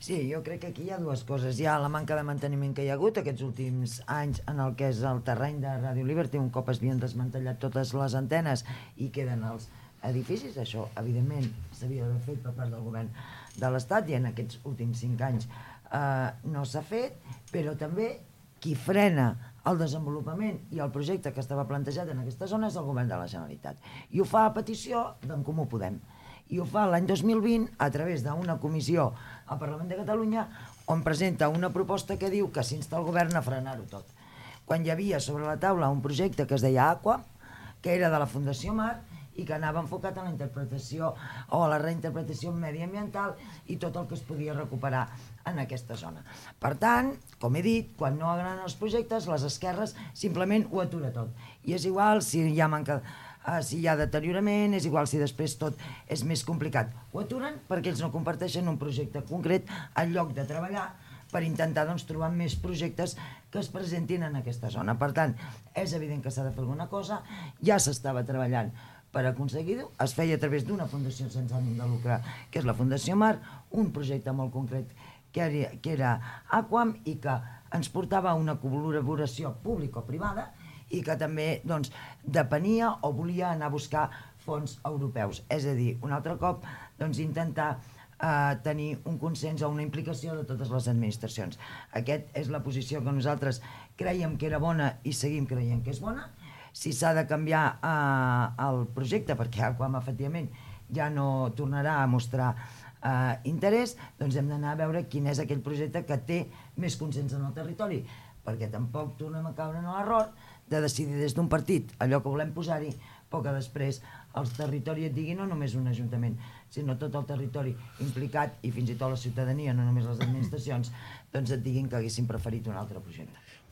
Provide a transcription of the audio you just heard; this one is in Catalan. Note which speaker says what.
Speaker 1: Sí, jo crec que aquí hi ha dues coses. Hi ha la manca de manteniment que hi ha hagut aquests últims anys en el que és el terreny de Radio Liberty, un cop es havien desmantellat totes les antenes i queden els edificis. Això, evidentment, s'havia d'haver fet per part del govern de l'Estat i en aquests últims 5 anys no s'ha fet, però també qui frena el desenvolupament i el projecte que estava plantejat en aquesta zona és el govern de la Generalitat. I ho fa a petició d'en Comú Podem. I ho fa l'any 2020 a través d'una comissió al Parlament de Catalunya on presenta una proposta que diu que s'insta el govern a frenar-ho tot. Quan hi havia sobre la taula un projecte que es deia Aqua, que era de la Fundació Mar i que anava enfocat a la interpretació o a la reinterpretació mediambiental i tot el que es podia recuperar en aquesta zona. Per tant, com he dit, quan no agraden els projectes, les esquerres simplement ho atura tot. I és igual si hi ha deteriorament, és igual si després tot és més complicat. Ho aturen perquè ells no comparteixen un projecte concret en lloc de treballar per intentar trobar més projectes que es presentin en aquesta zona. Per tant, és evident que s'ha de fer alguna cosa, ja s'estava treballant per aconseguir-ho, es feia a través d'una fundació sense ànim de lucre, que és la Fundació Mar, un projecte molt concret que era Aquam i que ens portava a una col·laboració público-privada i que també depenia o volia anar a buscar fons europeus. És a dir, un altre cop intentar tenir un consens o una implicació de totes les administracions. Aquesta és la posició que nosaltres creiem que era bona i seguim creient que és bona. Si s'ha de canviar el projecte perquè Aquam efectivament ja no tornarà a mostrar interès, doncs hem d'anar a veure quin és aquell projecte que té més consens en el territori, perquè tampoc tornem a caure en l'error de decidir des d'un partit allò que volem posar-hi, però que després el territori et digui, no només un ajuntament, sinó tot el territori implicat i fins i tot la ciutadania, no només les administracions, doncs et diguin que haguessin preferit un altre projecte.